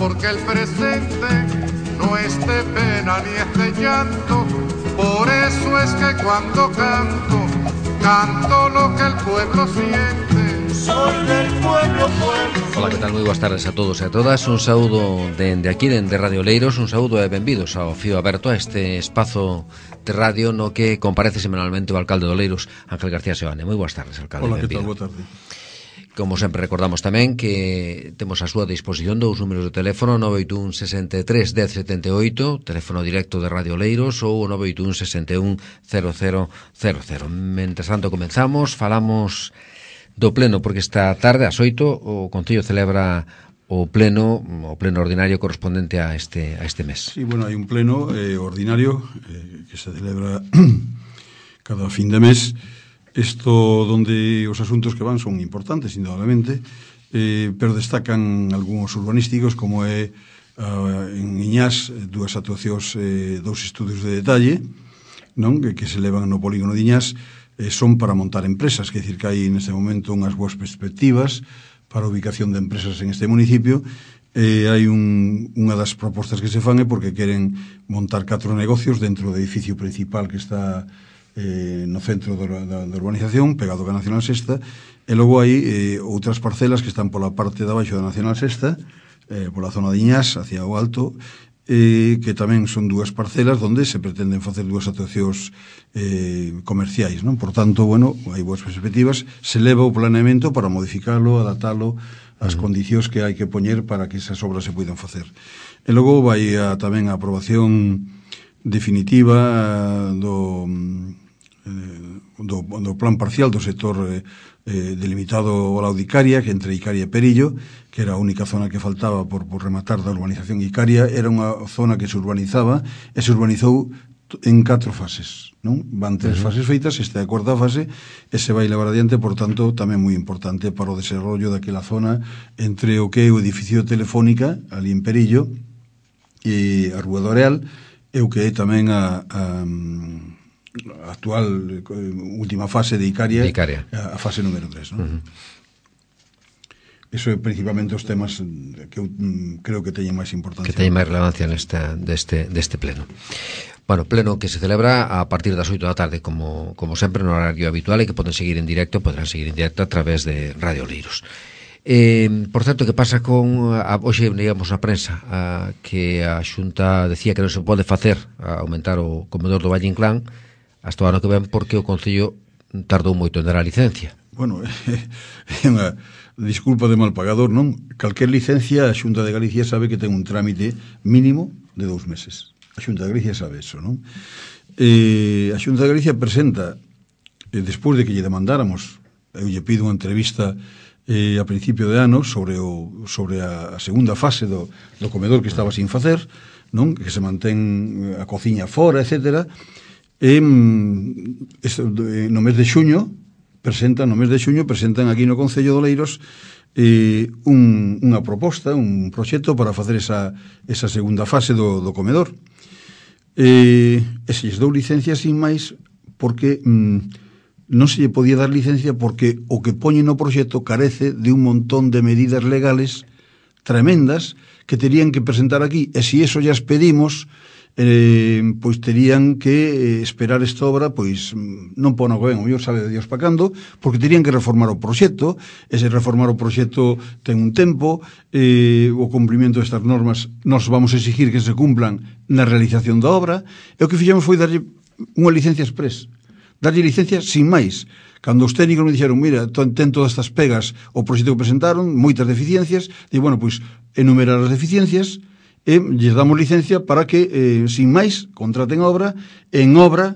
porque el presente no es de pena ni es de llanto. Por eso es que cuando canto, canto lo que el pueblo siente. Soy del pueblo, pueblo. Ola, que tal? Moi boas tardes a todos e a todas. Un saúdo dende aquí, dende Radio Oleiros. Un saúdo e benvidos ao Fío Aberto, a este espazo de radio no que comparece semanalmente o alcalde de Oleiros, Ángel García Seoane. Moi boas tardes, alcalde. Ola, que tal? Boa tarde. Como sempre recordamos tamén que temos a súa disposición dous números de teléfono: 981 63 10 78, teléfono directo de Radio Oleiros, ou 981 61 0000. Mentres tanto comenzamos, falamos do pleno, porque esta tarde ás 8 o Concello celebra o pleno ordinario correspondente a este mes. Sí, bueno, hai un pleno ordinario que se celebra cada fin de mes. Isto donde os asuntos que van son importantes, indudablemente, pero destacan algúns urbanísticos, como é en Iñás dúas actuacións, dous estudios de detalle, non, que se levan no polígono de Iñás, son para montar empresas, que decir que hai neste momento unhas boas perspectivas para a ubicación de empresas en este municipio. Hai unha das propostas que se fan é porque queren montar 4 negocios dentro do edificio principal que está no centro da urbanización, pegado a Nacional Sexta, e logo hai outras parcelas que están pola parte de abaixo da Nacional Sexta, pola zona de Iñás, hacia o alto, que tamén son dúas parcelas onde se pretenden facer dúas actuacións comerciais, non? Por tanto, bueno, hai boas perspectivas, se leva o planeamento para modificalo, adaptalo ás condicións que hai que poñer para que esas obras se poidan facer. E logo vai tamén a aprobación definitiva do plan parcial do sector delimitado ao lado de Icaria, que entre Icaria e Perillo, que era a única zona que faltaba por rematar da urbanización. Icaria era unha zona que se urbanizaba e se urbanizou en 4 fases, non? Van 3 fases feitas, esta é a 4ª fase e se vai levar adiante, por tanto, tamén moi importante para o desarrollo daquela zona entre o que é o edificio Telefónica ali en Perillo e a Rúa do Areal e o que é tamén a actual última fase de Icaria, a fase número 3, non? Eso é principalmente os temas que eu creo que teñen máis importancia, que teñen máis relevancia deste pleno. Bueno, pleno que se celebra a partir das 8 da tarde, como sempre, no horario habitual, e que podrán seguir en directo a través de Radio Oleiros. Por certo, que pasa con hoxe, digamos, na prensa, que a Xunta decía que non se pode facer aumentar o comedor do Valle Inclán hasta o ano que ven, porque o Concello tardou moito en dar a licencia. Bueno, é unha disculpa de mal pagador, non? Calquer licencia, a Xunta de Galicia sabe que ten un trámite mínimo de 2 meses. A Xunta de Galicia sabe eso, non? A Xunta de Galicia presenta, despois de que lle demandáramos, eu lle pido unha entrevista a principio de ano sobre a segunda fase do comedor que estaba sin facer, non? Que se mantén a cociña fora, etcétera. No mes de xuño presentan aquí no Concello de Oleiros unha proposta, un proxecto para facer esa segunda fase do comedor, e se lles dou licencia sin máis porque non se lle podía dar licencia porque o que poñe no proxecto carece de un montón de medidas legales tremendas que terían que presentar aquí, e se eso ya pedimos, pois terían que esperar esta obra, pois non pon o que ven, o mellor sabe de Dios pa cando, porque terían que reformar o proxecto, e se reformar o proxecto ten un tempo, o cumprimento destas normas nos vamos a exigir que se cumplan na realización da obra, e o que fixemos foi darlle unha licencia express, darlle licencia sin máis. Cando os técnicos me dixeron, mira, ten todas estas pegas o proxecto que presentaron, moitas deficiencias, e bueno, pois enumerar as deficiencias e lles damos licencia para que, sin máis, contraten obra, en obra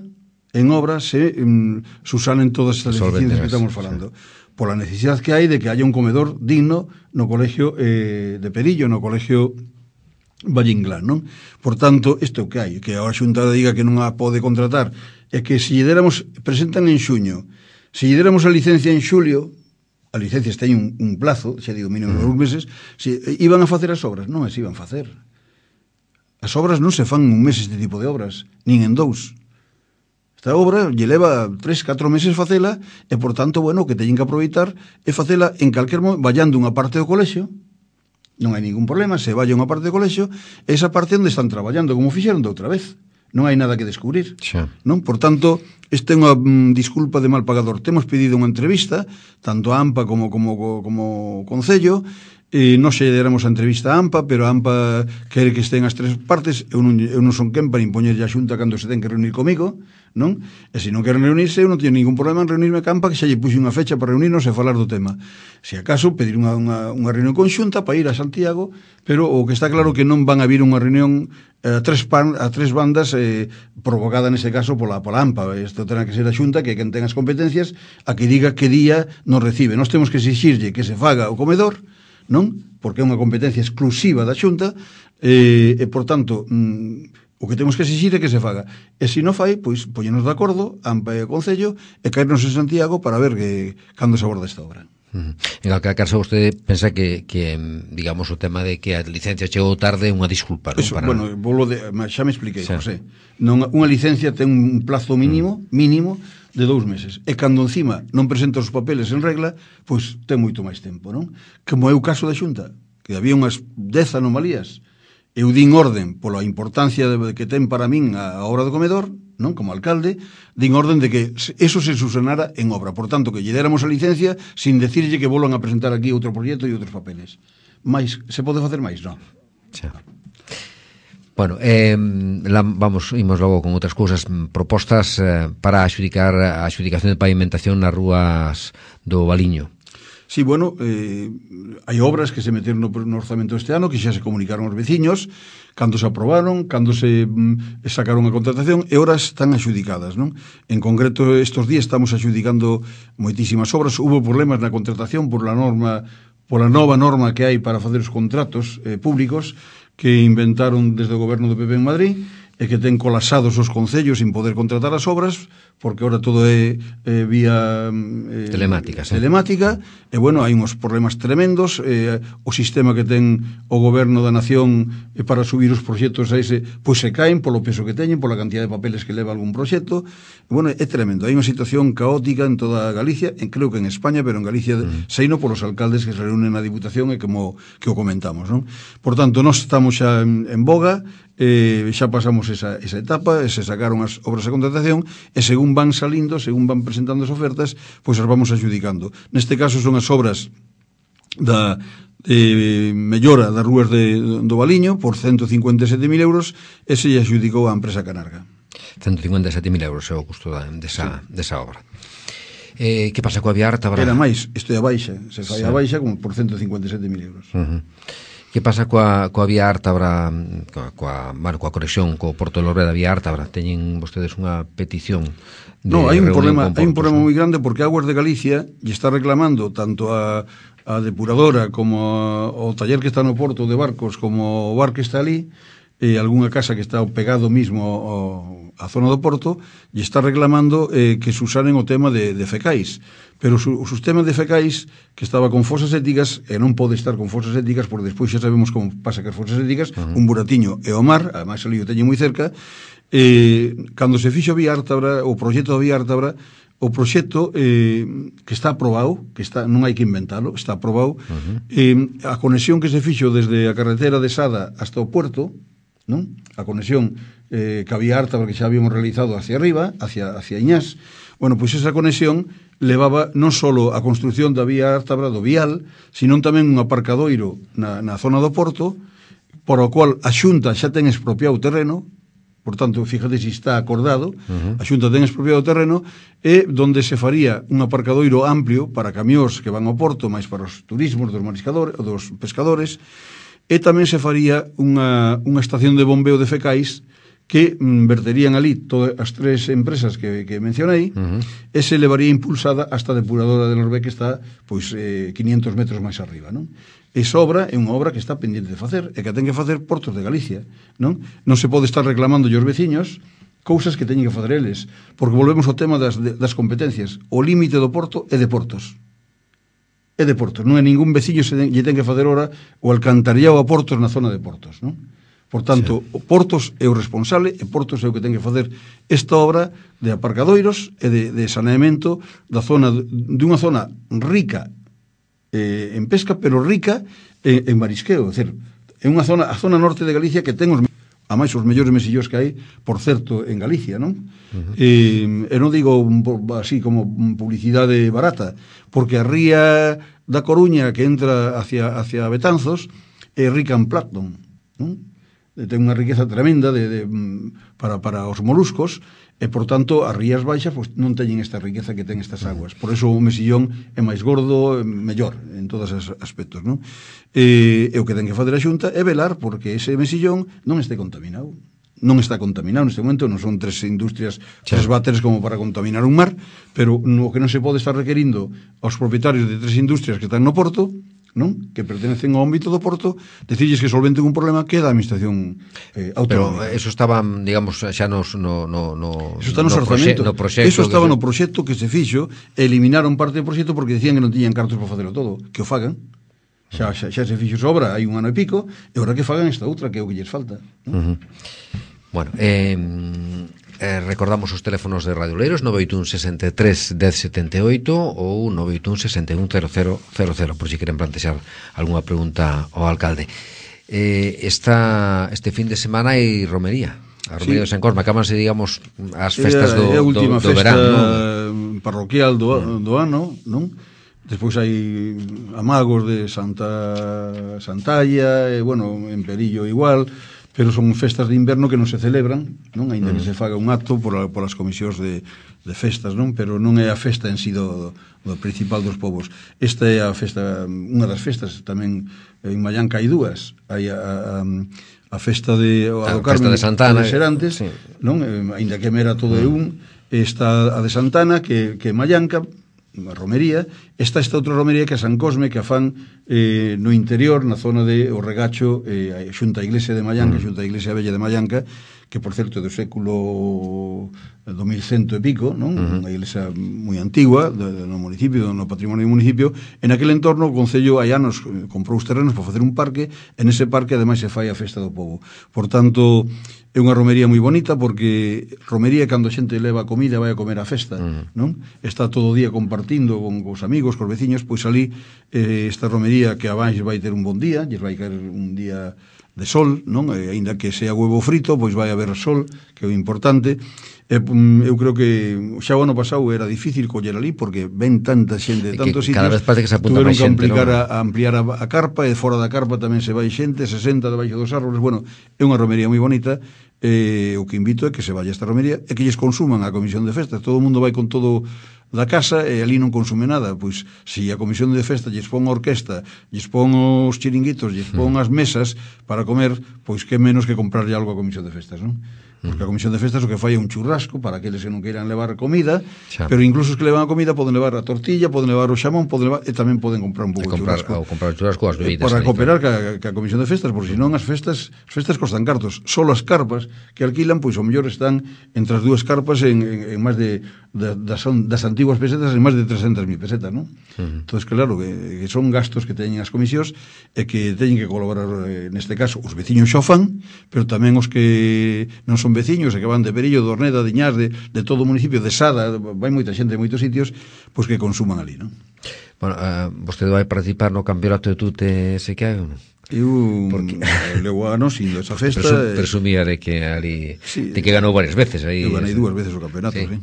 se susanen todas estas deficiencias que estamos falando. Sí. Por la necesidade que hai de que haya un comedor digno no colegio de Perillo, no colegio Valle Inclán, non? Por tanto, isto que hai, que a Xunta diga que non a pode contratar, é que se lle déramos, presentan en xuño, se lle déramos a licencia en xulio, a licencia teñen un plazo, xa digo, mínimo 2 meses, se iban a facer as obras, non as iban a facer. As obras non se fan un mes este tipo de obras, nin en 2. Esta obra lle leva 3-4 meses facela e, por tanto, bueno, o que teñen que aproveitar é facela en calquer momento, vallando unha parte do colexio, non hai ningún problema, se vai a unha parte do colexio, esa parte onde están traballando, como fixeron de outra vez. Non hai nada que descubrir. Xa. Non? Por tanto, esta é unha disculpa de mal pagador. Temos pedido unha entrevista, tanto a AMPA como Concello, e non se deramos a entrevista a AMPA, pero a AMPA quere que estén as tres partes. Eu non son quen para impoñerlle a xunta cando se ten que reunir comigo, non? E se non queren reunirse, eu non teño ningún problema en reunirme a AMPA, que xa lle puxe unha fecha para reunirnos e falar do tema. Se acaso, pedir unha reunión conxunta para ir a Santiago, pero o que está claro que non van a vir unha reunión a tres bandas provocada nese caso pola AMPA. Isto terá que ser a xunta, que quen ten as competencias, a que diga que día nos recibe. Nós temos que exixirlle que se faga o comedor, non? Porque é unha competencia exclusiva da xunta e por tanto o que temos que exixir é que se faga, e se non fai, pois poñenos de acordo AMPA e o Concello e caernos en Santiago para ver cando se aborda esta obra. En calquera caso, vostede pensa que digamos, o tema de que a licencia chegou tarde é unha disculpa, non? Eso, bueno, xa me expliquei, sí. José. Unha licencia ten un plazo mínimo de 2 meses. E cando encima non presenta os papeles en regla, pois ten moito máis tempo, non? Como é o caso da Xunta, que había unhas 10 anomalías. Eu din orden pola importancia que ten para min a obra do comedor, non? Como alcalde, din orden de que eso se subsanara en obra. Por tanto, que lle déramos a licencia sin decirlle que volvan a presentar aquí outro proxecto e outros papeles. Mais, se pode facer máis? Non. Xa. Bueno, imos logo con outras cousas, propostas para a adxudicación de pavimentación nas rúas do Valiño. Sí, bueno, hai obras que se meteron no orzamento este ano, que xa se comunicaron aos veciños, cando se aprobaron, cando se sacaron a contratación, e horas están adxudicadas, non? En concreto, estes días estamos adxudicando moitísimas obras. Hubo problemas na contratación pola nova norma que hai para facer os contratos públicos, que inventaron desde o goberno do PP en Madrid, e que ten colapsados os concellos sin poder contratar as obras, porque ahora todo é vía telemática, e bueno, hai uns problemas tremendos. O sistema que ten o goberno da nación para subir os proxectos a ese, pois se caen polo peso que teñen, pola cantidad de papeles que leva algún proxecto. E bueno, é tremendo, hai unha situación caótica en toda Galicia, creo que en España, pero en Galicia seino polos alcaldes que se reúnen na Diputación e como que o comentamos, non? Por tanto, nós estamos xa en boga, xa pasamos esa etapa, se sacaron as obras de contratación, e según van salindo, según van presentando as ofertas, pois as vamos adxudicando. Neste caso son as obras da mellora das rúas do Valiño por 157.000 euros, e se lle adxudicou a empresa Canarga. 157.000 euros é o custo desa obra. Que pasa coa vía Ártabra? Era máis, isto é a baixa, se fai a baixa como por 157.000 euros. Que pasa coa vía Ártabra, coa conexión co Porto de Lorbeda, vía Ártabra? Teñen vostedes unha petición de hai un problema ¿no? moi grande, porque Aguas de Galicia lle está reclamando tanto a depuradora como o taller que está no porto de barcos, como o bar que está ali, e algunha casa que está pegado mismo a zona do porto, lle está reclamando que se usanen o tema de fecais. Pero o sistema de fecais, que estaba con fosas éticas, e non pode estar con fosas éticas, porque despois xa sabemos como pasa que as fosas éticas, un buratiño e o mar, ademais ali o teñen moi cerca, cando se fixo a vía Ártabra, o proxecto da vía Ártabra, o proxecto que está aprobado, non hai que inventalo, está aprobado, a conexión que se fixo desde a carretera de Sada hasta o puerto, non? A conexión que había Ártabra, que xa habíamos realizado hacia arriba, hacia Iñás, bueno, pois esa conexión levaba non só a construción da vía Ártabra do vial, sino tamén un aparcadoiro na zona do porto, por o cual a Xunta xa ten expropiado o terreno. Por tanto, fíjate se está acordado, a Xunta ten expropiado o terreno, e donde se faría un aparcadoiro amplio para camións que van ao porto, máis para os turismos dos pescadores, e tamén se faría unha estación de bombeo de fecais que verterían ali todas as tres empresas que mencionei, e se levaría impulsada hasta a depuradora de Lorbé, que está pois 500 metros máis arriba, non? Esa obra é unha obra que está pendente de facer, e que ten que facer Portos de Galicia, non? Non se pode estar reclamando aos veciños cousas que teñen que facer eles, porque volvemos ao tema das competencias. O límite do porto é de Portos. É de Portos, non é ningún veciño lle ten que facer ora o alcantarillado a Portos na zona de Portos, non? Por tanto, sí. O Portos é o responsable, e Portos é o que ten que facer esta obra de aparcadoiros e de saneamento dunha zona rica en pesca, pero rica en marisqueo, é dicir, é unha zona, a zona norte de Galicia que ten a máis os mellores mesillós que hai, por certo, en Galicia, non? E non digo así como publicidade barata, porque a ría da Coruña que entra hacia Betanzos é rica en plancton, non? Ten unha riqueza tremenda para os moluscos, e, por tanto, as rías baixas pues, non teñen esta riqueza que ten estas aguas. Por eso o mesillón é máis gordo, mellor, en todos os aspectos, non? E o que ten que fazer a Xunta é velar porque ese mesillón non este contaminado. Non está contaminado neste momento, non son tres industrias, tres váteres como para contaminar un mar, pero o que non se pode estar requerindo aos propietarios de tres industrias que están no porto, non? Que pertenecen ao ámbito do porto, decirles que solventen un problema que é da administración autonómica. Pero eso estaba, digamos, xa eso está no orzamento. Eso estaba no proxecto que se fixo, eliminaron parte do proxecto porque decían que non tiñan cartos para facelo todo, que o fagan. Xa se fixo sobra, hai un ano e pico, e agora que fagan esta outra, que é o que lles falta, non? Bueno, recordamos os teléfonos de Radio Oleiros 981 63 1078 ou 981 61 00 por si queren plantexar algunha pregunta ao alcalde. Este fin de semana hai romería. A romería de San Cosme, acabanse, digamos, as festas do verán, parroquial do ano, non? Despois hai amagos de Santalla, bueno, en Perillo igual, pero son festas de inverno que non se celebran, non? Ainda que se faga un acto polas comisións de festas, non? Pero non é a festa en sí do principal dos povos. Esta é a festa, unha das festas, tamén en Mallanca hai dúas. Hai a festa do Carmen de Santana, de Serantes, sí. Non? Ainda que mera todo é un, está a de Santana, que é Mallanca, a romería, esta outra romería que é San Cosme, que a fan no interior, na zona de o Regacho, xunta a iglesia de Mallanca, xunta a iglesia bella de Mallanca, que por certo é do século 2100 e pico, non? Unha iglesia moi antigua no municipio, no patrimonio do municipio. En aquel entorno o Concello hai anos comprou os terrenos para facer un parque, en ese parque ademais se fai a festa do povo. Por tanto, é unha romería moi bonita porque romería cando a xente leva comida vai a comer a festa, non? Está todo o día compartindo con os amigos, cos veciños, pois ali esta romería que abans vai ter un bon día, lles vai caer un día de sol, non? Aínda que sea huevo frito, pois vai haber sol, que é o importante. Eu creo que xa o ano pasado era difícil coller ali porque ven tanta xente de tantos sitios. Cada vez parece que se apunta máis xente, non? A ampliar a carpa, e fora da carpa tamén se vai xente, 60 debaixo dos árboles. Bueno, é unha romería moi bonita. O que invito é que se vaya esta romería e que lles consuman a comisión de festas. Todo o mundo vai con todo da casa e ali non consume nada. Pois, se a comisión de festa lles pon a orquesta, lles pon os chiringuitos, lles pon as mesas para comer, pois que menos que comprarlle algo a comisión de festas, non? Porque a comisión de festas o que fai é un churrasco para aqueles que non queiran levar comida, pero incluso os que levan a comida poden levar a tortilla, poden levar o xamón, e tamén poden comprar un pouco de churrasco. Ou comprar o churrasco as bebidas. Para cooperar ca comisión de festas, porque senón as festas costan cartos. Solo as carpas que alquilan, pois o mellor están entre as dúas carpas en máis das antiguas pesetas en máis de 300.000 pesetas, non? Entón, claro, que son gastos que teñen as comisións e que teñen que colaborar, neste caso, os veciños xa o fan, pero tamén os que non son veciños e que van de Perillo, de Orneda, de Iñás, de todo o municipio, de Sada, vai moita xente de moitos sitios, pois que consuman ali, non? Bueno, vostede vai participar no campeonato de tute ese que hai ou non? Eu levo anos indo a esa festa. Presumía de que ali de que ganou varias veces aí. Eu ganei 2 veces o campeonato, sí.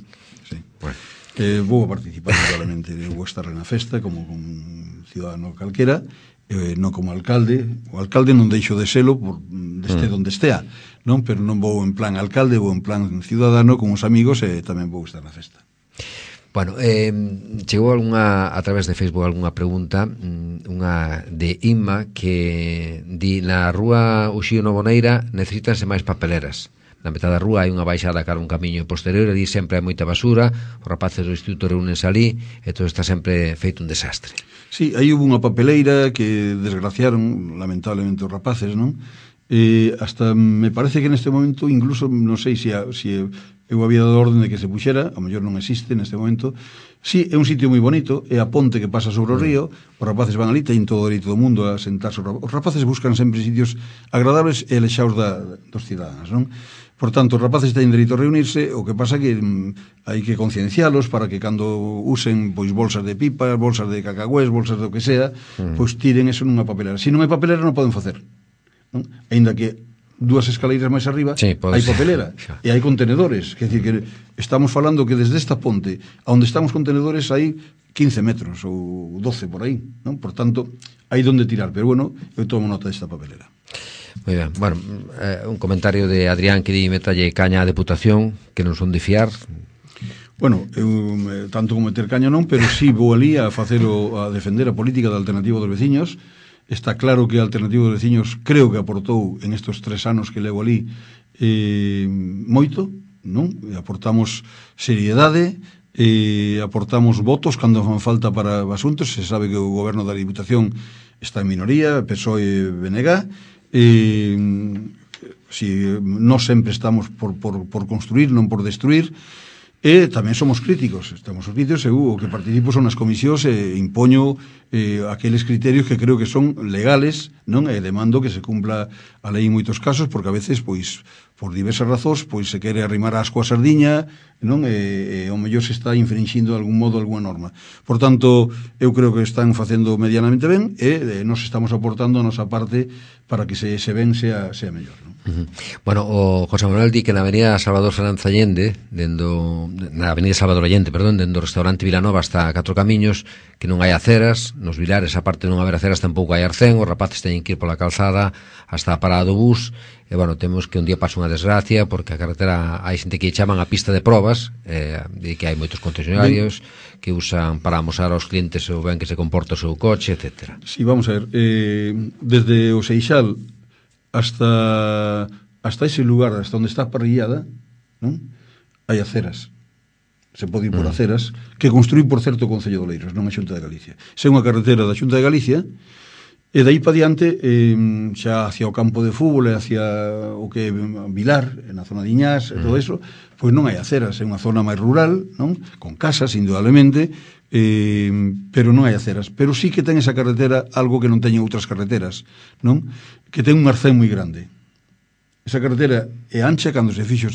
Bueno. Vou a participar totalmente, vou estar na festa como un ciudadano calquera, non como alcalde. O alcalde non deixo de selo onde estea, non? Pero non vou en plan alcalde, vou en plan ciudadano con os amigos e tamén vou estar na festa. Bueno, chegou a través de Facebook algunha pregunta, unha de Inma que di: na rúa Uxío Novoneira necesítanse máis papeleras. Na metade da rúa hai unha baixada cara a un camiño posterior, ali sempre hai moita basura, os rapaces do instituto reúnense ali e todo está sempre feito un desastre. Sí, aí hubo unha papeleira que desgraciaron lamentablemente os rapaces, non? Hasta me parece que neste momento incluso non sei se eu había dado orden de que se puxera, a mellor non existe neste momento. Sí, é un sitio moi bonito, é a ponte que pasa sobre o río, os rapaces van ali, teñen todo o dereito do mundo a sentarse. Os rapaces buscan sempre sitios agradables e alexados dos cidadáns, non? Por tanto, os rapaces teñen dereito a reunirse, o que pasa que hai que conciencialos para que cando usen pois bolsas de pipas, bolsas de cacahués, bolsas do que sea, pois tiren eso nunha papelera. Se non hai papelera non poden facer, non? Ainda que dúas escaleiras máis arriba hai papelera e hai contenedores, quer dizer que estamos falando que desde esta ponte a onde están os contenedores hai 15 metros ou 12 por aí, non? Por tanto, hai donde tirar, pero bueno, eu tomo nota desta papelera. Moi ben, bueno, un comentario de Adrián que di metalle caña a Deputación, que non son de fiar. Bueno, eu tanto como meter caña non, pero sí vou ali a facelo, a defender a política da Alternativa dos Veciños. Está claro que a Alternativa dos Veciños creo que aportou en estes 3 anos que levo ali moito, non? Aportamos seriedade, aportamos votos cando fan falta para asuntos. Se sabe que o goberno da Diputación está en minoría, PSOE e BNG, si non sempre estamos por construir, non por destruir, e tamén somos críticos, eu o que participo son nas comisións e impoño aqueles criterios que creo que son legales, non? E demando que se cumpla a lei en moitos casos, porque a veces, pois, por diversas razóns, pois se quere arrimar asco a sardiña, non? E ao mellor se está infringindo de algún modo alguna norma. Por tanto, eu creo que están facendo medianamente ben e nos estamos aportando a nosa parte para que se ben sea mellor, non? Bueno, o José Manuel di que na avenida Salvador Fernández Allende, na avenida Salvador Allende, perdón, dendo o restaurante Vilanova hasta Catro Camiños, que non hai aceras, nos Vilares aparte de non haber aceras tampouco hai arcén, os rapaces teñen que ir pola calzada hasta a parada do bus, e bueno, temos que un día pasa unha desgracia porque a carretera hai xente que chaman a pista de probas, e que hai moitos concesionarios que usan para amosar aos clientes o ben que se comporta o seu coche, etc. Sí, vamos a ver, desde o Seixal hasta ese lugar, hasta onde está a parrillada, non? Hai aceras. Se pode ir por aceras, que construí, por certo, o Concello de Oleiros, non a Xunta de Galicia. Se é unha carretera da Xunta de Galicia, e dai pa diante, xa hacia o campo de fútbol e hacia o que é Vilar, na zona de Iñás, e todo eso, pois non hai aceras, é unha zona máis rural, non? Con casas, indudablemente, pero non hai aceras. Pero sí que ten esa carretera algo que non teñen outras carreteras, non? Que ten un arcén moi grande. Esa carretera é ancha, cando se fixo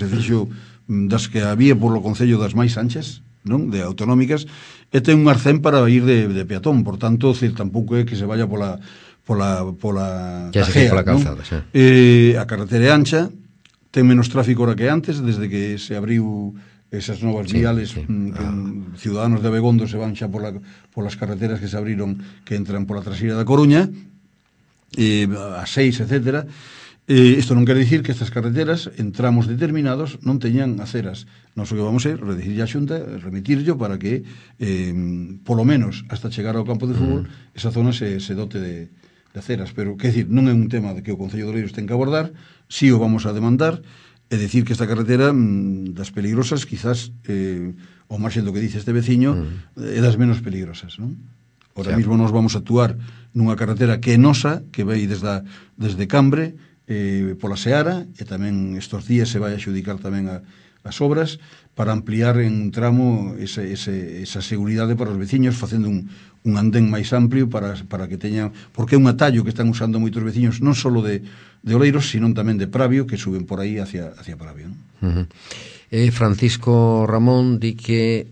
das que había polo Concello das máis anchas, non? De autonómicas, e ten un arcén para ir de peatón, por tanto, tampouco é que se vaya pola tajea, pola calzada, xa. A carretera é ancha, ten menos tráfico ahora que antes, desde que se abriu esas novas viales, que ciudadanos de Abegondo se van xa polas carreteras que se abriron, que entran pola traseira da Coruña, a 6, etc. Isto non quere dicir que estas carreteras, en tramos determinados, non teñan aceras. Nós o que vamos é redicir a Xunta, remitirlo para que, polo menos, hasta chegar ao campo de fútbol, esa zona se dote de aceras. Pero, quer dicir, non é un tema de que o Concello de Oleiros ten que abordar, si o vamos a demandar, e decir que esta carretera das peligrosas, quizás, ao marxen do que dice este veciño, é das menos peligrosas, non? Ahora mismo nos vamos a actuar nunha carretera que é nosa, que vai desde Cambre, pola Seara, e tamén estos días se vai a xudicar tamén as obras para ampliar en un tramo esa seguridade para os veciños, facendo un andén máis amplio para que teñan, porque é un atallo que están usando moitos veciños, non só de Oleiros, sino tamén de Pravio, que suben por aí hacia Pravio, non? Francisco Ramón di que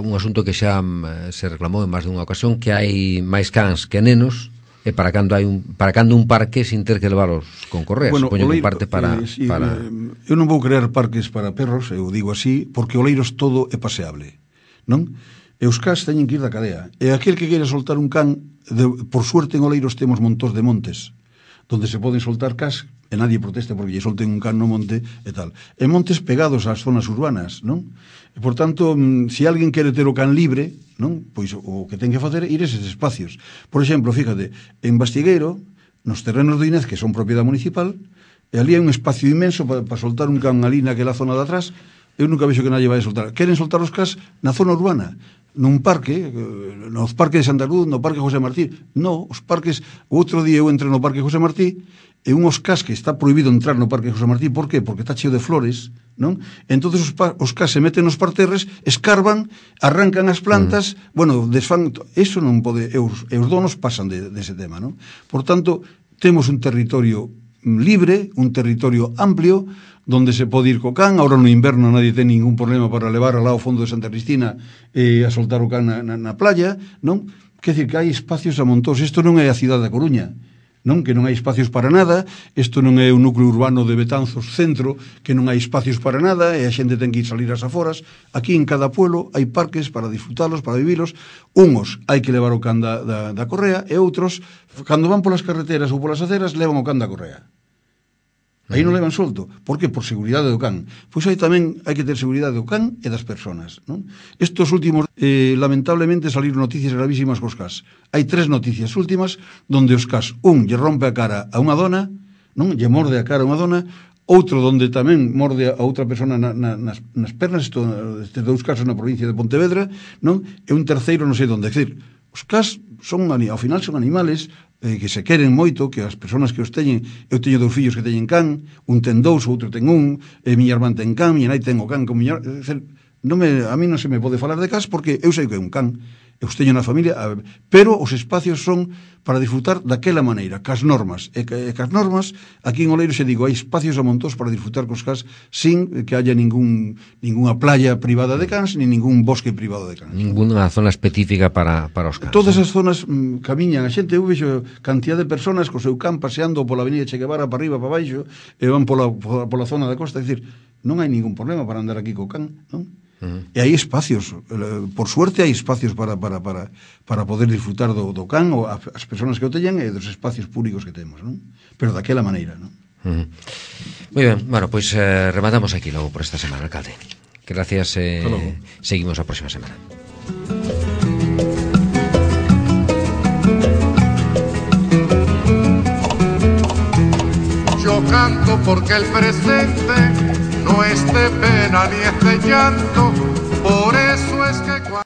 un asunto que xa se reclamou en máis dunha ocasión, que hai máis cans que nenos, e para cando un parque sin ter que leválos con correas. Bueno, supoño que un parque para... Eu non vou crear parques para perros, eu digo así, porque Oleiros todo é paseable, non? E os cans teñen que ir da cadea. E aquel que queira soltar un can, por suerte en Oleiros temos montós de montes, donde se poden soltar cans, e nadie protesta porque lle solten un can no monte e tal. E montes pegados ás zonas urbanas, non? E, por tanto, se alguén quere ter o can libre, non? Pois o que ten que facer é ir a eses espacios. Por exemplo, fíjate, en Bastigueiro, nos terrenos de Inés, que son propiedade municipal, e ali hai un espacio inmenso para soltar un can ali naquela zona de atrás. Eu nunca vexo que nadie vai a soltar. Queren soltar os cans na zona urbana, nun parque, nos parques de Santa Cruz, no parque José Martí. No, os parques, o outro día eu entrei no parque José Martí, e unhos cas que está prohibido entrar no parque José Martí. Por qué? Porque está cheo de flores, non? Entonces os cas se meten nos parterres, escarban, arrancan as plantas, bueno, desfan, eso non pode, e os donos pasan dese tema, non? Por tanto, temos un territorio libre, un territorio amplio, donde se pode ir co can. Ahora no inverno nadie ten ningún problema para levar alá ao fondo de Santa Cristina a soltar o can na playa, non? Quer dizer que hai espacios a montós. Isto non é a cidade da Coruña, non? Que non hai espacios para nada. Isto non é un núcleo urbano de Betanzos centro, que non hai espacios para nada e a xente ten que ir salir ás aforas. Aquí en cada pueblo hai parques para disfrutalos, para vivilos. Unos hai que levar o can da correa e outros, cando van polas carreteras ou polas aceras, levan o can da correa. Aí non levan solto. Por que? Por seguridade do can. Pois aí tamén hai que ter seguridade do can e das persoas, non? Estos últimos, lamentablemente, saliron noticias gravísimas cos cas. Hai 3 noticias últimas donde os cas, un lle rompe a cara a unha dona, non? Lle morde a cara a unha dona, outro donde tamén morde a outra persona nas pernas, estes 2 casos na provincia de Pontevedra, non? E un terceiro non sei onde. É dicir, os cas son, ao final son animales que se queren moito, que as persoas que os teñen, eu teño 2 fillos que teñen can, un ten 2, outro ten 1, miña irmán ten can, miña nai ten o can con miña... a mí non se me pode falar de cas porque eu sei que é un can, eu os teño na familia, pero os espacios son para disfrutar daquela maneira, cas normas, e cas normas, aquí en Oleiros se digo, hai espacios a montós para disfrutar cos cas sin que haya ninguna playa privada de cans, ni ningún bosque privado de cans. Ninguna zona específica para os cans. Todas as zonas camiñan a xente, eu vexo cantidad de personas co seu can paseando pola avenida Che Guevara para arriba, para baixo, e van pola zona da costa, é dicir, non hai ningún problema para andar aquí co can, non? E hai espacios, por suerte hai espacios para poder disfrutar do can ou as persoas que o teñan e dos espacios públicos que temos, non? Pero daquela maneira, non? Moi ben, bueno, pois rematamos aquí logo por esta semana, alcalde. Gracias, seguimos a próxima semana. Yo canto porque el presente no es de pena ni es de llanto,